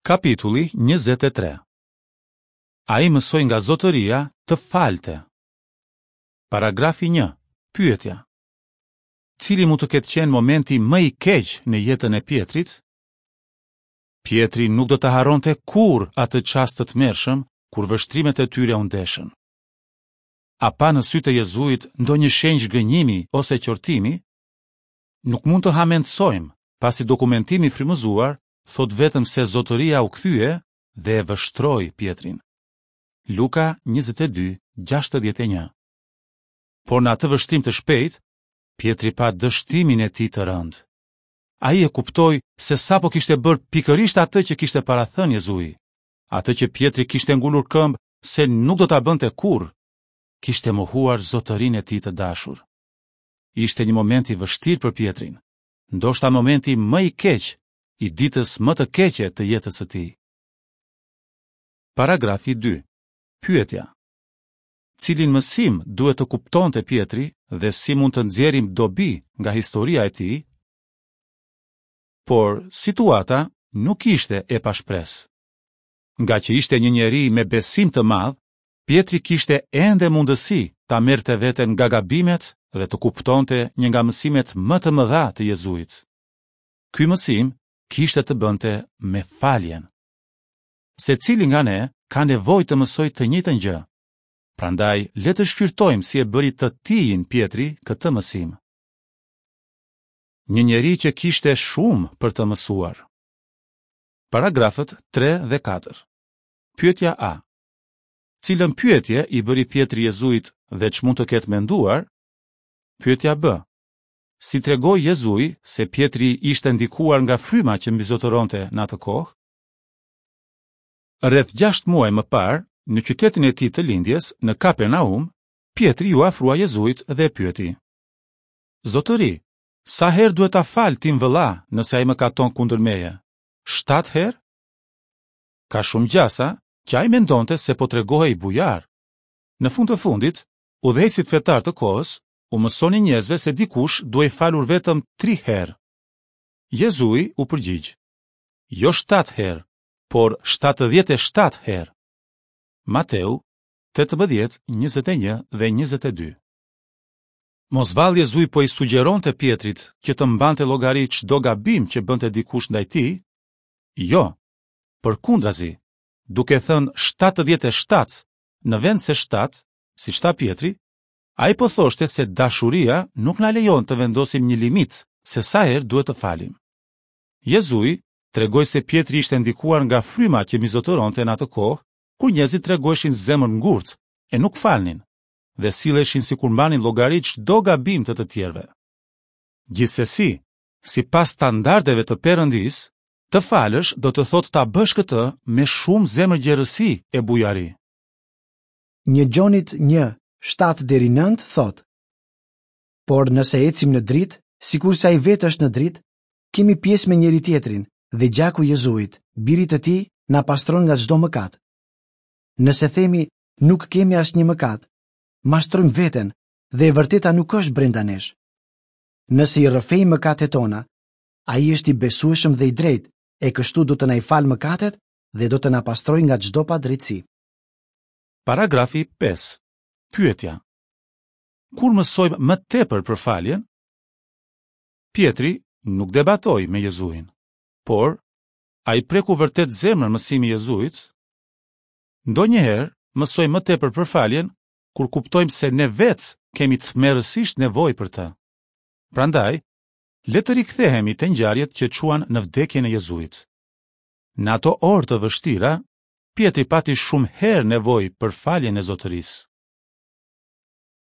Kapitulli 23 Ai mësoi nga Zotëria të falte. Paragrafi 1. Pyetja. Cili mund të ketë qenë momenti më i keq në jetën e Pjetrit? Pjetri nuk do ta harronte kurrë atë çast të tmerrshëm kur vështrimet e tyre u ndeshën. A pa në sytë e Jezuit ndonjë shenjë zhgënjimi ose qortimi? Nuk mund të hamendësojmë, pasi dokumentimi i frymëzuar thotë vetëm se Zotëria u kthye dhe e vështroi Pjetrin. Luka 22, 61. Por në atë vështrim të shpejtë, Pjetri pa dështimin e tij të rëndë. Ai e kuptoi se sapo kishte bërë pikërisht atë që kishte parathënë Jezui, atë që Pjetri kishte ngulur këmbë se nuk do ta bënte kurrë, kishte mohuar Zotërinë e tij të dashur. Ishte një moment i vështirë për Pjetrin, ndoshta momenti më i keq i ditës më të keqe të jetës së tij. Paragrafi 2. Pyetja. Cilin mësim duhet të kuptonte Pjetri dhe si mund të nxjerrim dobi nga historia e tij? Por situata nuk ishte e pashpresë. Ngaqë ishte një njeri me besim të madh, Pjetri kishte ende mundësi ta merrte veten nga gabimet dhe të kuptonte një nga mësimet më të mëdha të Jezuit. Ky mësim kishte të bënte me faljen. Secili nga ne ka nevojë të mësojë të njëjtën gjë. Prandaj le të shqyrtojmë si e bëri të tijin Pjetri këtë mësim. Një njeri që kishte shumë për të mësuar. Paragrafët 3 dhe 4. Pyetja A. Cilën pyetje i bëri Pjetri Jezuit dhe ç'mund të ketë menduar? Pyetja B. Si tregoi Jezui se Pjetri ishte ndikuar nga fryma që mbizotëronte në atë kohë? Rreth 6 muaj më parë, në qytetin e tij të lindjes, në Kapernaum, Pjetri iu afrua Jezuit dhe e pyeti: Zotëri, sa herë duhet ta fal tim vëlla nëse ai mëkaton kundër meje? 7 herë? Ka shumë gjasa që ai mendonte se po tregohej bujar. Në fund të fundit, udhëheqësit fetarë të kohës u mësonin njerëzve se dikush duhej falur vetëm tri herë. Jezui u përgjigj, jo 7 herë, por 77 herë. Mateu 18, 21 dhe 22. Mos vallë Jezui po i sugjeronte Pjetrit që të mbante llogari çdo gabim që bënte dikush ndaj tij? Jo. Përkundrazi, duke thënë 77 në vend se 7, siç tha Pjetri, ai po thoshte se dashuria nuk na lejon të vendosim një limit se sa herë duhet të falim. Jezui tregoi se Pjetri ishte ndikuar nga fryma që mbizotëronte në atë kohë, kur njerëzit tregoheshin zemërngurtë e nuk falnin dhe silleshin sikur mbanin llogari çdo gabim të të tjerëve. Gjithsesi, sipas standardeve të Perëndisë, të falësh do të thotë ta bësh këtë me shumë zemërgjerësi e bujari. Një Gjonit 1, 7 deri 9 thotë: Por nëse ecim në dritë, sikurse ai vetë është në dritë, kemi pjesë me njëri-tjetrin dhe gjaku i Jezuit, birit të tij, na pastron nga çdo mëkat. Nëse themi nuk kemi asnjë mëkat, mashtrojmë veten dhe e vërteta nuk është brenda nesh. Nëse i rrëfejmë mëkatet tona, ai është i besueshëm dhe i drejtë, e kështu do të na i falë mëkatet dhe do të na pastrojë nga çdo padrejtësi. Paragrafi 5. Pyetja. Kur mësojmë më tepër për faljen? Pjetri nuk debatoi me Jezuin. Por, a i preku vërtet zemrën mësimi i Jezuit? Ndonjëherë mësojmë më tepër për faljen kur kuptojmë se ne vetë kemi tmerrësisht nevojë për të. Prandaj, le të rikthehemi te ngjarjet që çuan në vdekjen e Jezuit. Në ato orë të vështira, Pjetri pati shumë herë nevojë për faljen e Zotërisë.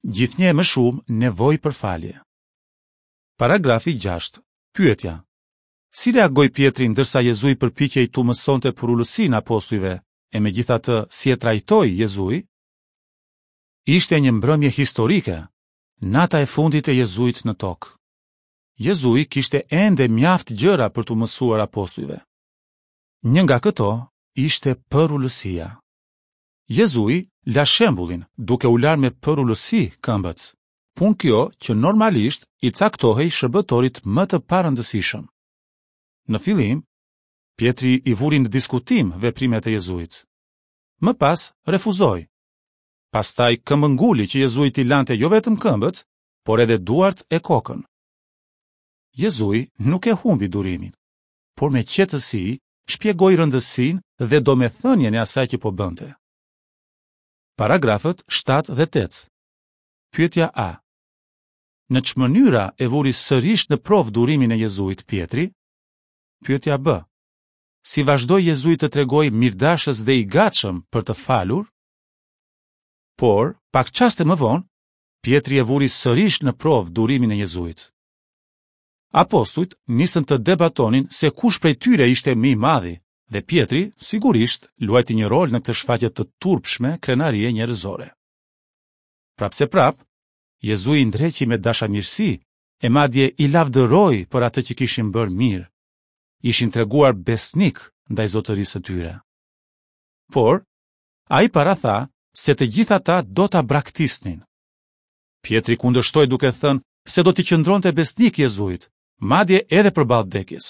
Gjithnjë e më shumë nevojë për falje. Paragrafi 6. Pyetja. Si reagoi Pjetri ndërsa Jezui përpiqej t'u mësonte përulësinë apostujve, e megjithatë si e trajtoi Jezui? Ishte një mbrëmje historike, nata e fundit e Jezuit në tokë. Jezui kishte ende mjaft gjëra për t'u mësuar apostujve. Një nga këto ishte përulësia. Jezui la shembullin duke u larë me përulësi këmbët, punë kjo që normalisht i caktohej shërbëtorit më të parëndësishëm. Në fillim, Pjetri i vuri në diskutim veprimet e Jezuit. Më pas refuzoi. Pastaj këmbënguli që Jezui t'i lante jo vetëm këmbët, por edhe duart e kokën. Jezui nuk e humbi durimin, por me qetësi shpjegoi rëndësinë dhe domethënien e asaj që po bënte. Paragrafët 7 dhe 8. Pyetja A. Në ç'mënyra e vuri sërish në provë durimin e Jezuit Pjetri? Pyetja B. Si vazhdoi Jezui të tregohej mirëdashës dhe i gatshëm për të falur? Por, pak çaste më vonë, Pjetri e vuri sërish në provë durimin e Jezuit. Apostujt nisën të debatonin se kush prej tyre ishte më i madhi dhe Pjetri, sigurisht, luajti një rol në këtë shfaqje të turpshme krenarie njerëzore. Prapëseprapë, Jezui i ndreqi me dashamirësi e madje i lavdëroi për atë që kishin bërë mirë. Ishin treguar besnikë ndaj zotërisë së tyre. Por, ai paratha se të gjithë ata do ta braktisnin. Pjetri kundërshtoi duke thënë se do t'i qëndronte besnik Jezuit, madje edhe përballë vdekjes.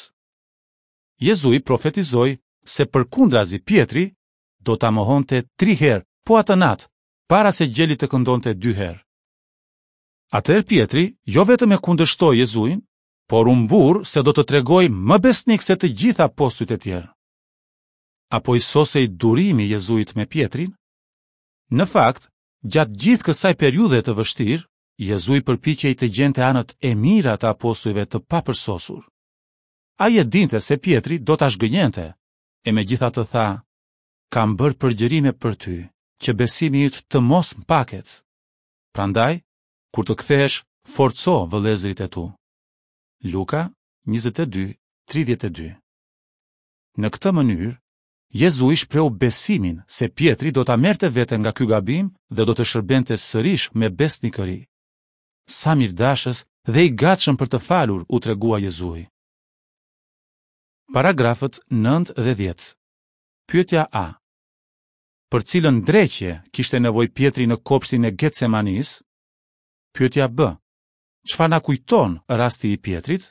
Jezui profetizoi se përkundrazi Pjetri do ta mohonte tri herë po atë natë, para se gjeli të këndonte dy herë. Atëherë Pjetri jo vetëm e kundërshtoi Jezuin, por u mburr se do të tregohej më besnik se të gjithë apostujt e tjerë. A po i sosej durimi i Jezuit me Pjetrin? Në fakt, gjatë gjithë kësaj periudhe të vështirë, Jezui përpiqej të gjente anët e mira të apostujve të papërsosur. Ai e dinte se Pjetri do ta zhgënjente, e megjithatë tha, Kam bërë përgjërime për ty, që besimi yt të mos mpaket. Prandaj, kur të kthehesh, forco vëllezërit e tu. Luka 22, 32 Në këtë mënyrë, Jezui shprehu besimin se Pjetri do ta merrte veten nga ky gabim dhe do të shërbente sërish me besnikëri. Sa mirëdashës dhe i gatshëm për të falur u tregua Jezui. Paragrafët 9 dhe 10. Pyetja A. Për cilën ndreqje kishte nevojë Pjetri në kopshtin e Getsemanisë? Pyetja B. Çfarë na kujton rasti i Pjetrit?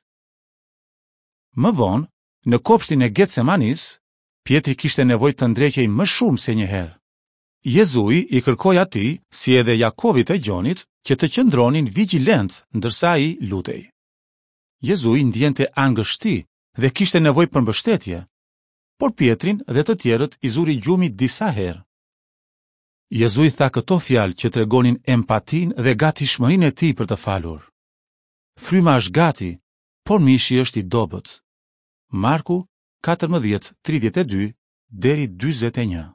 Më vonë, në kopshtin e Getsemanisë, Pjetri kishte nevojë të ndreqej më shumë se një herë. Jezui i kërkoi atij, si edhe Jakovit e Gjonit, që të qëndronin vigjilentë ndërsa ai lutej. Jezui ndiente angështi dhe kishte nevojë për mbështetje, por Pjetrin dhe të tjerët i zuri gjumi disa herë. Jezui tha këto fjalë që tregonin empatinë dhe gatishmërinë e tij për të falur. Fryma është gati, por mishi është i dobët. Marku 14:32 deri 41.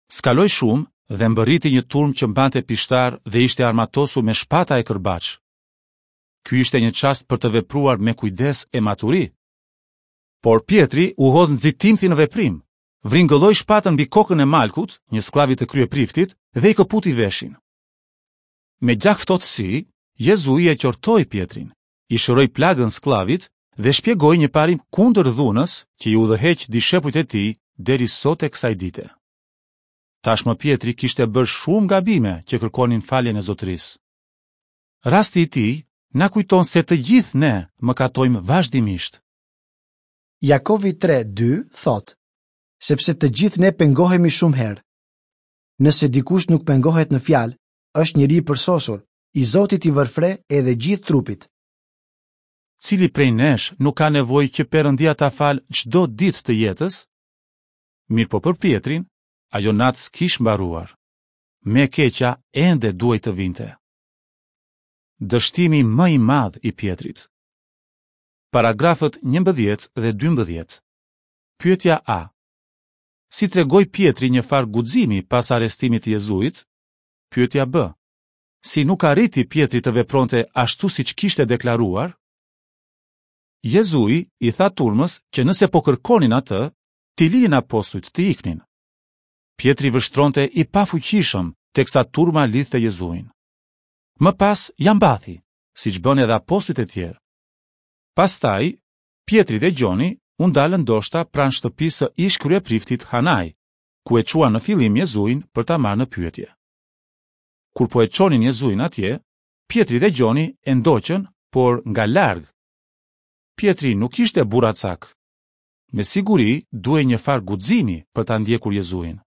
S'kaloi shumë dhe mbërriti një turmë që mbante pishtarë dhe ishte armatosur me shpata e kërbaçë. Ky ishte një çast për të vepruar me kujdes e maturi, Por Pjetri u hodh nxitimthi në veprim, vringëlloi shpatën mbi kokën e Malkut, një skllavi të kryepriftit, dhe i këputi veshin. Me gjakftohtësi, Jezui e qortoi Pjetrin, i shëroi plagën skllavit dhe shpjegoi një parim kundër dhunës që i udhëheq dishepujt e tij deri sot e kësaj dite. Tashmë Pjetri kishte bërë shumë gabime që kërkonin faljen e Zotërisë. Rasti i tij na kujton se të gjithë ne mëkatojmë vazhdimisht. Jakovi 3:2 thotë, sepse të gjithë ne pengohemi shumë herë. Nëse dikush nuk pengohet në fjalë, është njeri i përsosur, i zoti t'i vërë fre edhe gjithë trupit. Cili prej nesh nuk ka nevojë që Perëndia ta falë çdo ditë të jetës? Mirëpo për Pjetrin, ajo natë s'kish mbaruar. Më e keqja ende duhej të vinte. Dështimi më i madh i Pjetrit. Paragrafët 11 dhe 12. Pyetja A. Si tregoi Pjetri një farë guximi pas arrestimit të Jezuit? Pyetja B. Si nuk arriti Pjetri të vepronte ashtu siç kishte deklaruar? Jezui i tha turmës që nëse po kërkonin atë, t'i linin apostujt të iknin. Pjetri vështronte i pafuqishëm teksa turma lidhte Jezuin. Më pas ia mbathi, siç bënë edhe apostujt e tjerë. Pastaj, Pjetri dhe Gjoni u ndalën ndoshta pranë shtëpisë së ish-kryepriftit Hanai, ku e çuan në fillim Jezuin për ta marrë në pyetje. Kur po e çonin Jezuin atje, Pjetri dhe Gjoni e ndoqën, por nga larg. Pjetri nuk ishte burracak. Me siguri duhej një farë guximi për ta ndjekur Jezuin.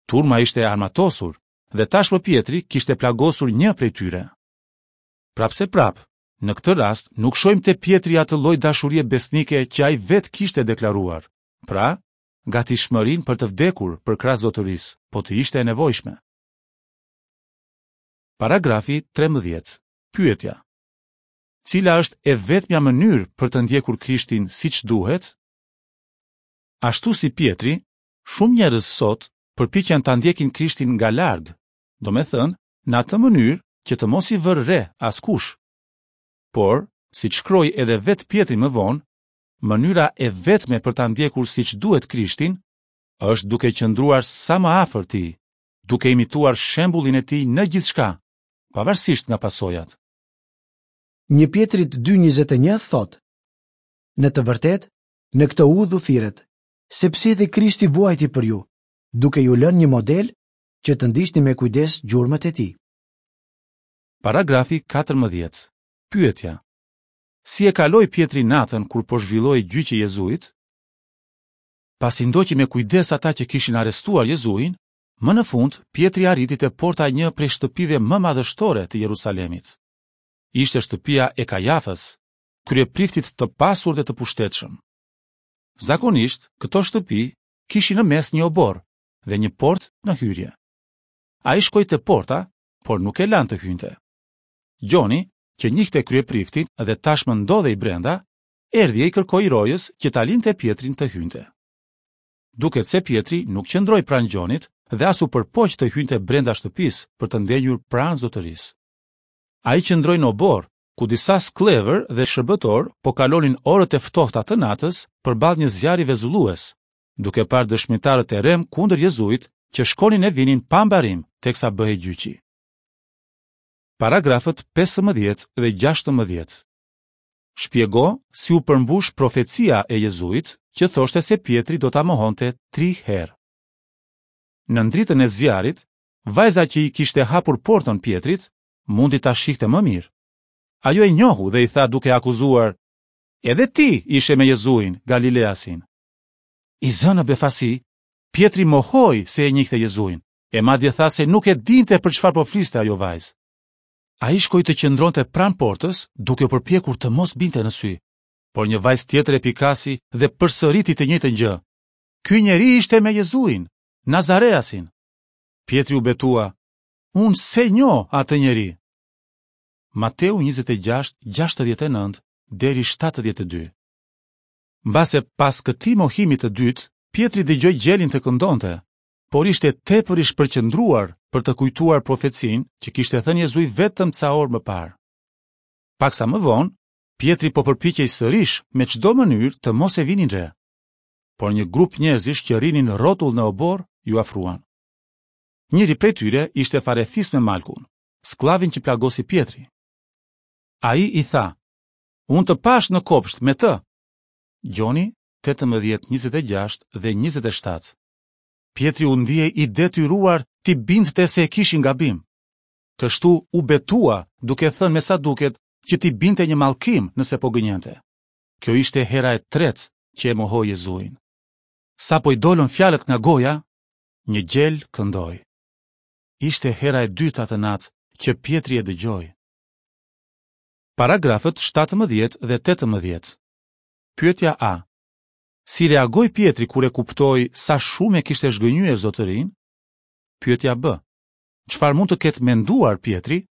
Turma ishte e armatosur dhe tashmë Pjetri kishte plagosur një prej tyre. Prapëseprapë, në këtë rast nuk shohim te Pjetri atë lloj dashurie besnike që ai vetë kishte deklaruar, pra, gatishmërinë për të vdekur përkrah Zotërisë, po të ishte e nevojshme. Paragrafi 13. Pyetja. Cila është e vetmja mënyrë për të ndjekur Krishtin siç duhet? Ashtu si Pjetri, shumë njerëz sot përpiqen ta ndjekin Krishtin nga larg, domethënë, në atë mënyrë që të mos i vërë re askush. Por, siç shkroi edhe vetë Pjetri më vonë, mënyra e vetme për ta ndjekur siç duhet Krishtin është duke qëndruar sa më afër tij, duke imituar shembullin e tij në gjithçka, pavarësisht nga pasojat. Një Pjetrit 2.21 thotë, Në të vërtetë, në këtë udhë u thirrët, sepse edhe Krishti vuajti për ju, duke ju lënë një model që të ndiqni me kujdes gjurmët e tij. Paragrafi 14. Pyetja. Si e kaloi Pjetri natën kur po zhvillohej gjyqi i Jezuit? Pasi ndoqi me kujdes ata që kishin arrestuar Jezuin, më në fund Pjetri arriti te porta e një prej shtëpive më madhështore të Jerusalemit. Ishte shtëpia e Kajafës, kryepriftit të pasur dhe të pushtetshëm. Zakonisht, këto shtëpi kishin në mes një oborr dhe një portë në hyrje. Ai shkoi te porta, por nuk e lanë të hynte. Gjoni, që njihte kryepriftin dhe tashmë ndodhej brenda, erdhi e i kërkoi rojës që ta linte Pjetrin të hynte. Duket se Pjetri nuk qëndroi pranë Gjonit dhe as u përpoq të hynte brenda shtëpisë për të ndenjur pranë zotërisë. Ai qëndroi në oborr, ku disa skllevër dhe shërbëtorë po kalonin orët e ftohta të natës përballë një zjarri vezullues, duke parë dëshmitarët e rremë kundër Jezuit që shkonin e vinin pa mbarim teksa bëhej gjyqi. Paragrafët 15 dhe 16. Shpjego si u përmbush profecia e Jezuit që thoshte se Pjetri do ta mohonte tri herë. Nën dritën e zjarrit, vajza që i kishte hapur portën Pjetrit, mundi ta shihte më mirë. Ajo e njohu dhe i tha duke e akuzuar, Edhe ti ishe me Jezuin, Galileasin. I zënë në befasi, Pjetri mohoi se e njihte Jezuin, e madje tha se nuk e dinte për çfarë po fliste ajo vajzë. Ai shkoi të qëndronte pranë portës, duke u përpjekur të mos binte në sy. Por një vajzë tjetër e pikasi dhe përsëriti të njëjtën gjë. Ky njeri ishte me Jezuin, Nazareasin. Pjetri u betua, Unë s'e njoh atë njeri. Mateu 26, 69 deri 72. Mbase pas këtij mohimi të dytë, Pjetri dëgjoi gjelin të këndonte, por ishte tepër i shpërqendruar për të kujtuar profecinë që kishte thënë Jezui vetëm ca orë më parë. Paksa më vonë, Pjetri po përpiqej sërish me çdo mënyrë të mos e vinin re. Por një grup njerëzish që rrinin rrotull në oborr iu afruan. Njëri prej tyre ishte farefis me Malkun, skllavin që plagosi Pjetri. Ai i tha, Unë të pashë në kopsht me të. Gjoni 18, 26 dhe 27. Pjetri u ndie i detyruar t'i bindte se e kishin gabim. Kështu u betua, duke thënë me sa duket që t'i binte një mallkim nëse po gënjente. Kjo ishte hera e tretë që e mohoi Jezuin. Sapo i dolën fjalët nga goja, një gjel këndoi. Ishte hera e dytë atë natë që Pjetri e dëgjoi. Paragrafët 17 dhe 18. Pyetja A. Si reagoi Pjetri kur e kuptoi sa shumë e kishte zhgënjyer Zotërinë? Pyetja B. Çfarë mund të ketë menduar Pjetri?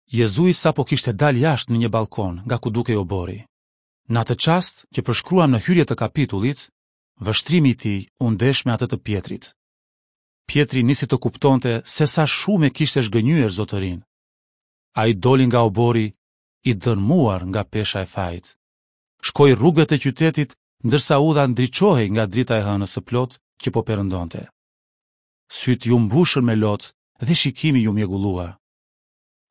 Jezui sapo kishte dalë jashtë në një ballkon nga ku dukej oborri. Në atë çast që përshkruam në hyrje të kapitullit, vështrimi i tij u ndesh me atë të Pjetrit. Pjetri nisi të kuptonte se sa shumë e kishte zhgënjyer Zotërinë. Ai doli nga oborri i dërrmuar nga pesha e fajit. Shkoi rrugëve të qytetit ndërsa udha ndriçohej nga drita e hënës së plotë që po perëndonte. Sytë iu mbushën me lot dhe shikimi iu mjegullua.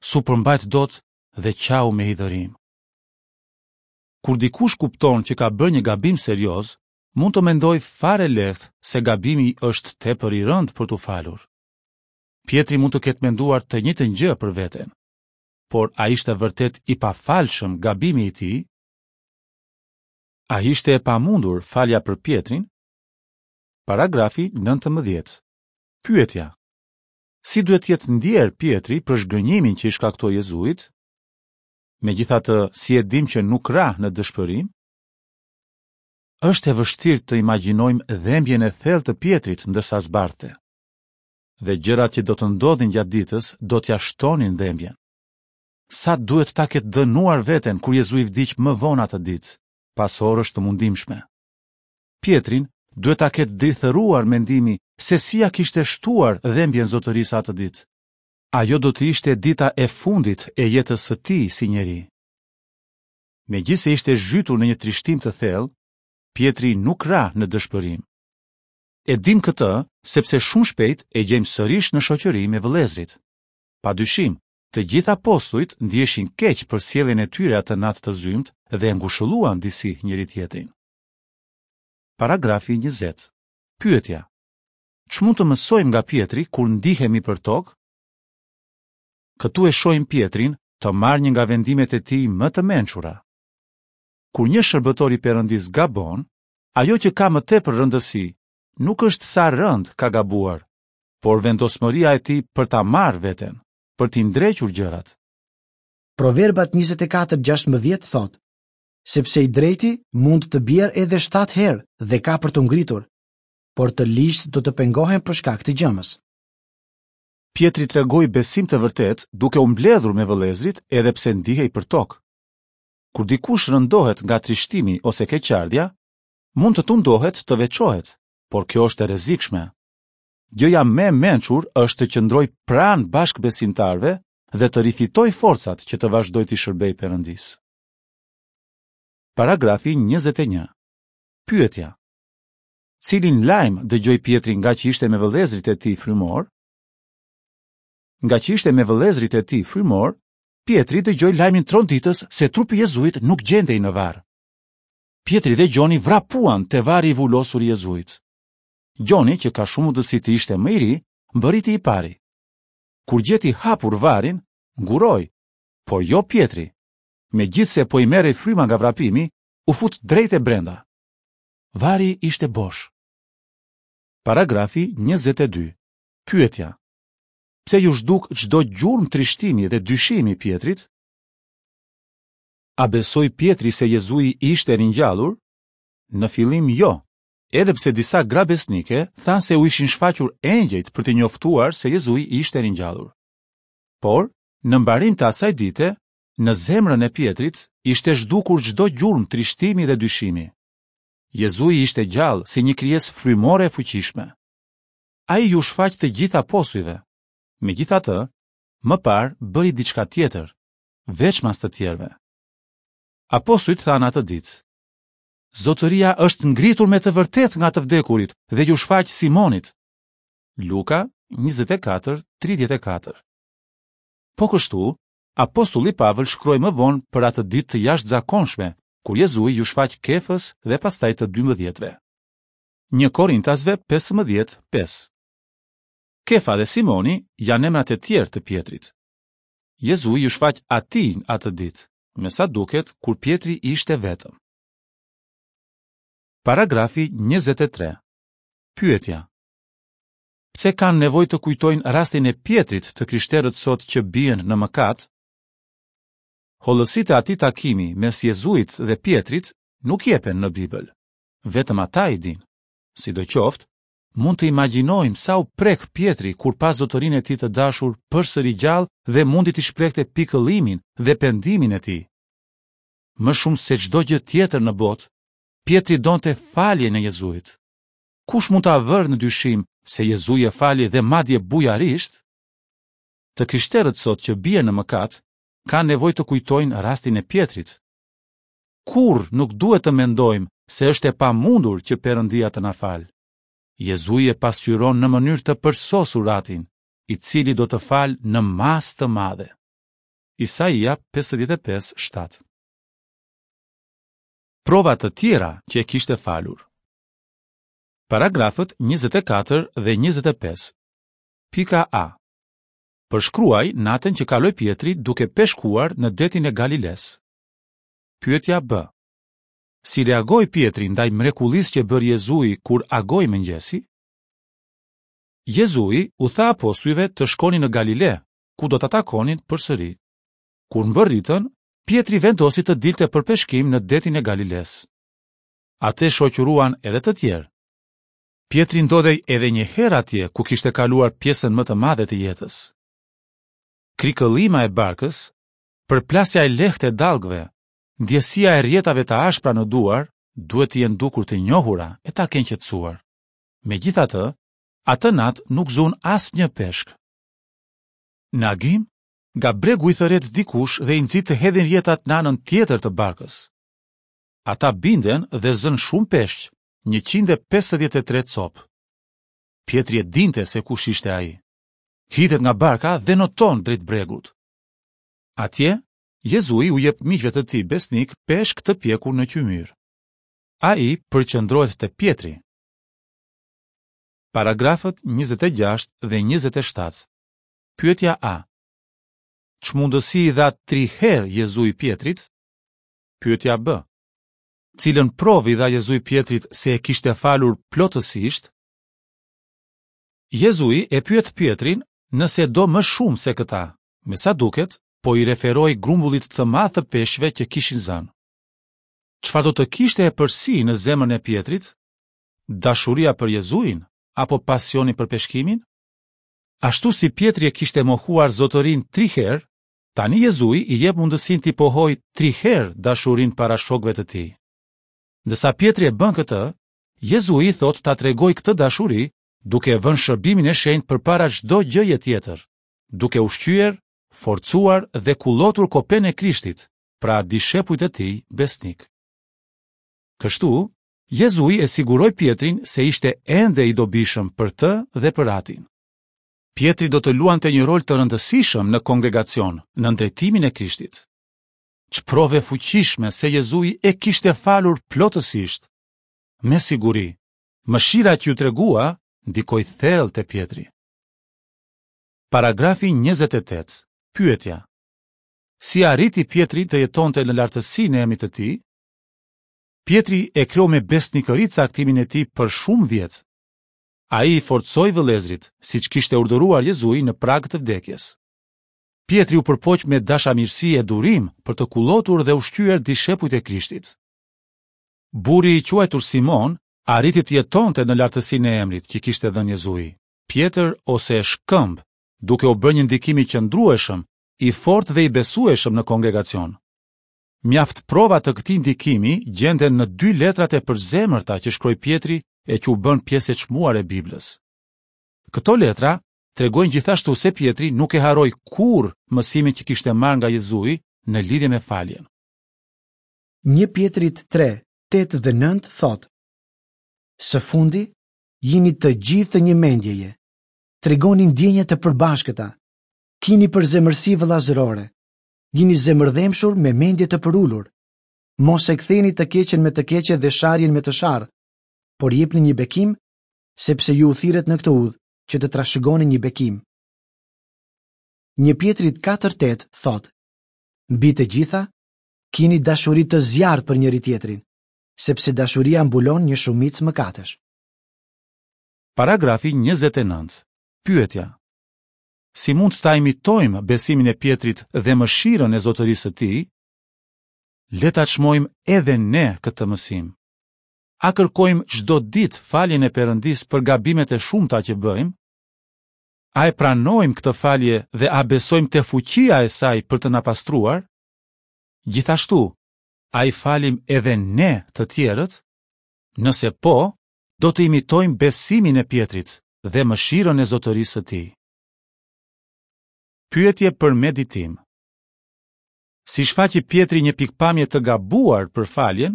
S'u përmbajt dot dhe qau me hidhërim. Kur dikush kupton që ka bërë një gabim serioz, mund të mendojë fare lehtë se gabimi është tepër i rëndë për t'u falur. Pjetri mund të ketë menduar të njëjtën gjë për veten. Por a ishte vërtet i pafalshëm gabimi i tij? A ishte e pamundur falja për Pjetrin? Paragrafi 19. Pyetja. Si duhet të jetë ndjerë Pjetri për zhgënjimin që i shkaktoi Jezuit? Megjithatë, si e dimë që nuk ra në dëshpërim? Është e vështirë të imagjinojmë dhembjen e thellë të Pjetrit ndërsa zbardhte. Dhe gjërat që do të ndodhnin gjatë ditës do t'ia shtonin dhembjen. Sa duhet ta ketë dënuar veten kur Jezui vdiq më vonë atë ditë, pas orësh të mundimshme. Pjetrin duhet ta ketë drithëruar mendimi se si ia kishte shtuar dhembjen Zotërisë atë ditë. Ajo do të ishte dita e fundit e jetës së tij si njeri. Megjithëse ishte zhytur në një trishtim të thellë, Pjetri nuk ra në dëshpërim. E dimë këtë sepse shumë shpejt e gjejmë sërish në shoqëri me vëllezërit. Pa dyshim, të gjithë apostujt ndiheshin keq për sjelljen e tyre atë natë të zymtë dhe e ngushëlluan disi njëri-tjetrin. Paragrafi 20. Pyetja: Ç'mund të mësojmë nga Pjetri kur ndihemi përtokë? Këtu e shohim Pjetrin të marrë një nga vendimet e tij më të mençura. Kur një shërbëtor i Perëndisë gabon, ajo që ka më tepër rëndësi nuk është sa rëndë ka gabuar, por vendosmëria e tij për ta marrë veten, për t'i ndrequr gjërat. Proverbat 24:16 thotë: Sepse i drejti mund të bjerë edhe shtatë herë dhe ka për t'u ngritur, por të ligjtë do të pengohen për shkak të gjëmës. Pjetri tregoi besim të vërtetë duke u mbledhur me vëllezërit edhe pse ndihej përtokë. Kur dikush rëndohet nga trishtimi ose keqardhja, mund të tundohet të veçohet, por kjo është e rrezikshme. Gjëja më e mençur është të qëndrojë pranë bashkëbesimtarëve dhe të rifitojë forcat që të vazhdojë t'i shërbejë Perëndisë. Paragrafi 21. Pyetja: Cilin lajm dëgjoi Pjetri ngaqë ishte me vëllezërit e tij frymorë? Ngaqë ishte me vëllezërit e tij frymorë, Pjetri dëgjoi lajmin tronditës se trupi i Jezuit nuk gjendej në varr. Pjetri dhe Gjoni vrapuan te varri i vulosur i Jezuit. Gjoni, që ka shumë mundësi të ishte më i ri, mbërriti i pari. Kur gjeti hapur varrin, nguroi, por jo Pjetri. Megjithëse po i merrej fryma nga vrapimi, u fut drejt e brenda. Varri ishte bosh. Paragrafi 22. Pyetja: Pse iu zhduk çdo gjurmë trishtimi dhe dyshimi Pjetrit? A besoi Pjetri se Jezui ishte ringjallur? Në fillim jo, edhe pse disa gra besnike thanë se u ishin shfaqur engjëjt për t'i njoftuar se Jezui ishte ringjallur. Por, në mbarim të asaj dite, në zemrën e Pjetrit ishte zhdukur çdo gjurmë trishtimi dhe dyshimi. Jezui ishte gjallë si një krijesë frymore e fuqishme. Ai iu shfaq të gjithë apostujve. Megjithatë, më parë bëri diçka tjetër, veçmas të tjerëve. Apostujt thanë atë ditë: Zotëria është ngritur me të vërtetë nga të vdekurit dhe iu shfaq Simonit. Luka 24:34. Po kështu, apostulli Pavël shkroi më vonë për atë ditë të jashtëzakonshme, kur Jezui iu shfaq Kefës dhe pastaj të dymbëdhjetëve. Një Korintasve 15, 5. Kefa dhe Simoni janë emrat e tjerë të Pjetrit. Jezui iu shfaq atij atë ditë, me sa duket kur Pjetri ishte vetëm. Paragrafi 23. Pyetja: Pse kanë nevojë të kujtojnë rastin e Pjetrit të krishterët sot që bien në mëkat? Hollësitë e atij takimi mes Jezuit dhe Pjetrit nuk jepen në Bibël. Vetëm ata i dinë. Sidoqoftë, mund të imagjinojmë sa u prek Pjetri kur pa zotërinë e tij të dashur përsëri gjallë dhe mundi të shprehte pikëllimin dhe pendimin e tij. Më shumë se çdo gjë tjetër në botë, Pjetri donte faljen e Jezuit. Kush mund ta vërë në dyshim se Jezui e fali dhe madje bujarisht? Të krishterët sot që bien në mëkat, kanë nevojë të kujtojnë rastin e Pjetrit. Kurrë nuk duhet të mendojmë se është e pamundur që Perëndia të na falë. Jezui e pasqyron në mënyrë të përsosur Atin, i cili do të falë në masë të madhe. Isaia 55, 7 Prova të tjera që e kishte falur. Paragrafët 24 dhe 25. Pika A. Përshkruaj natën që kaloi Pjetri duke peshkuar në detin e Galilesë. Pyetja B. Si reagoi Pjetri ndaj mrekullisë që bëri Jezui kur agoi mëngjesi? Jezui u tha apostujve të shkonin në Galile, ku do ta takonin përsëri. Kur mbërritën, Pjetri vendosi të dilte për peshkim në detin e Galilesë. Atë e shoqëruan edhe të tjerë. Pjetri ndodhej edhe një herë atje ku kishte kaluar pjesën më të madhe të jetës. Krikëllima e barkës, përplasja e lehtë e dallgëve, ndjesia e rrjetave të ashpra në duar duhet t'i jenë dukur të njohura e ta kenë qetësuar. Megjithatë, atë natë nuk zunë asnjë peshk. Në agim, nga bregu i thërret dikush dhe i nxit të hedhin rrjetat në anën tjetër të barkës. Ata binden dhe zënë shumë peshq, 153 copë. Pjetri e dinte se kush ishte ai. Hidhet nga barka dhe noton drejt bregut. Atje, Jezui u jep miqve të tij besnikë peshk të pjekur në qymyr. Ai përqendrohet te Pjetri. Paragrafët 26 dhe 27. Pyetja A. Ç'mundësi i dha tri herë Jezui Pjetrit? Pyetja B. Cilën provë i dha Jezui Pjetrit se e kishte falur plotësisht? Jezui e pyet Pjetrin nëse e do më shumë se këta. Me sa duket, po i referohej grumbullit të madh të peshqve që kishin zënë. Çfarë do të kishte epërsi në zemrën e Pjetrit? Dashuria për Jezuin apo pasioni për peshkimin? Ashtu si Pjetri e kishte mohuar Zotërinë tri herë, tani Jezui i jep mundësinë t'i pohojë tri herë dashurinë para shokëve të tij. Ndërsa Pjetri e bën këtë, Jezui i thotë ta tregojë këtë dashuri duke e vënë shërbimin e shenjtë përpara çdo gjëje tjetër, duke ushqyer, forcuar dhe kullotur kopenë e Krishtit, pra dishepujt e tij besnikë. Kështu, Jezui e siguroi Pjetrin se ishte ende i dobishëm për të dhe për Atin. Pjetri do të luante një rol të rëndësishëm në kongregacion, nën drejtimin e Krishtit. Ç'provë e fuqishme se Jezui e kishte falur plotësisht! Me siguri, mëshira që iu tregua ndikoi thellë te Pjetri. Paragrafi 28. Pyetja: Si arriti Pjetri të jetonte në lartësinë e emrit të tij? Pjetri e kreu me besnikëri caktimin e tij për shumë vjet. Ai i forcoi vëllezërit, siç kishte urdhëruar Jezui në prag të vdekjes. Pjetri u përpoq me dashamirësi e durim për të kullotur dhe ushqyer dishepujt e Krishtit. Burri i quajtur Simon arriti të jetonte në lartësinë e emrit që kishte dhënë Jezui, Pjetër ose Shkëmb, duke u bërë një ndikim i qëndrueshëm, i fortë dhe i besueshëm në kongregacion. Mjaft prova të këtij ndikimi gjenden në dy letrat e përzemërta që shkroi Pjetri e që u bënë pjesë e çmuar e Biblës. Këto letra tregojnë gjithashtu se Pjetri nuk e harroi kurrë mësimin që kishte marrë nga Jezui në lidhje me faljen. 1 Pjetrit 3, 8 dhe 9 thotë: Së fundi, jini të gjithë të një mendjeje. Tregoni ndjenja të përbashkëta. Kini përzemërsi vëllazërore. Jini zemërdhembshur me mendje të përulur. Mos e ktheni të keqen me të keqe dhe sharjen me të sharë, por jepni një bekim, sepse ju u thirrët në këtë udhë që të trashëgoni një bekim. 1 Pjetrit 4:8 thotë: Mbi të gjitha, kini dashuri të zjarrtë për njëri-tjetrin, sepse dashuria mbulon një shumicë mëkatesh. Paragrafi 29. Pyetja: Si mund ta imitojmë besimin e Pjetrit dhe mëshirën e zotërisë së tij? Le ta çmojmë edhe ne këtë mësim. A kërkojmë çdo ditë faljen e Perëndisë për gabimet e shumta që bëjmë? A e pranojmë këtë falje dhe a besojmë te fuqia e saj për të na pastruar? Gjithashtu, a i falim edhe ne të tjerët? Nëse po, do të imitojmë besimin e Pjetrit dhe mëshirën e zotërisë së tij. Pyetje për meditim. Si shfaqi Pjetri një pikëpamje të gabuar për faljen?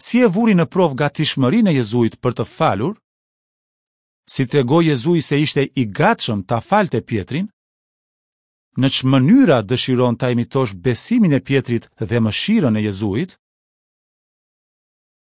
Si e vuri në provë gatishmërinë e Jezuit për të falur? Si tregoi Jezui se ishte i gatshëm ta falte Pjetrin? Në ç'mënyra dëshiron ta imitosh besimin e Pjetrit dhe mëshirën e Jezuit?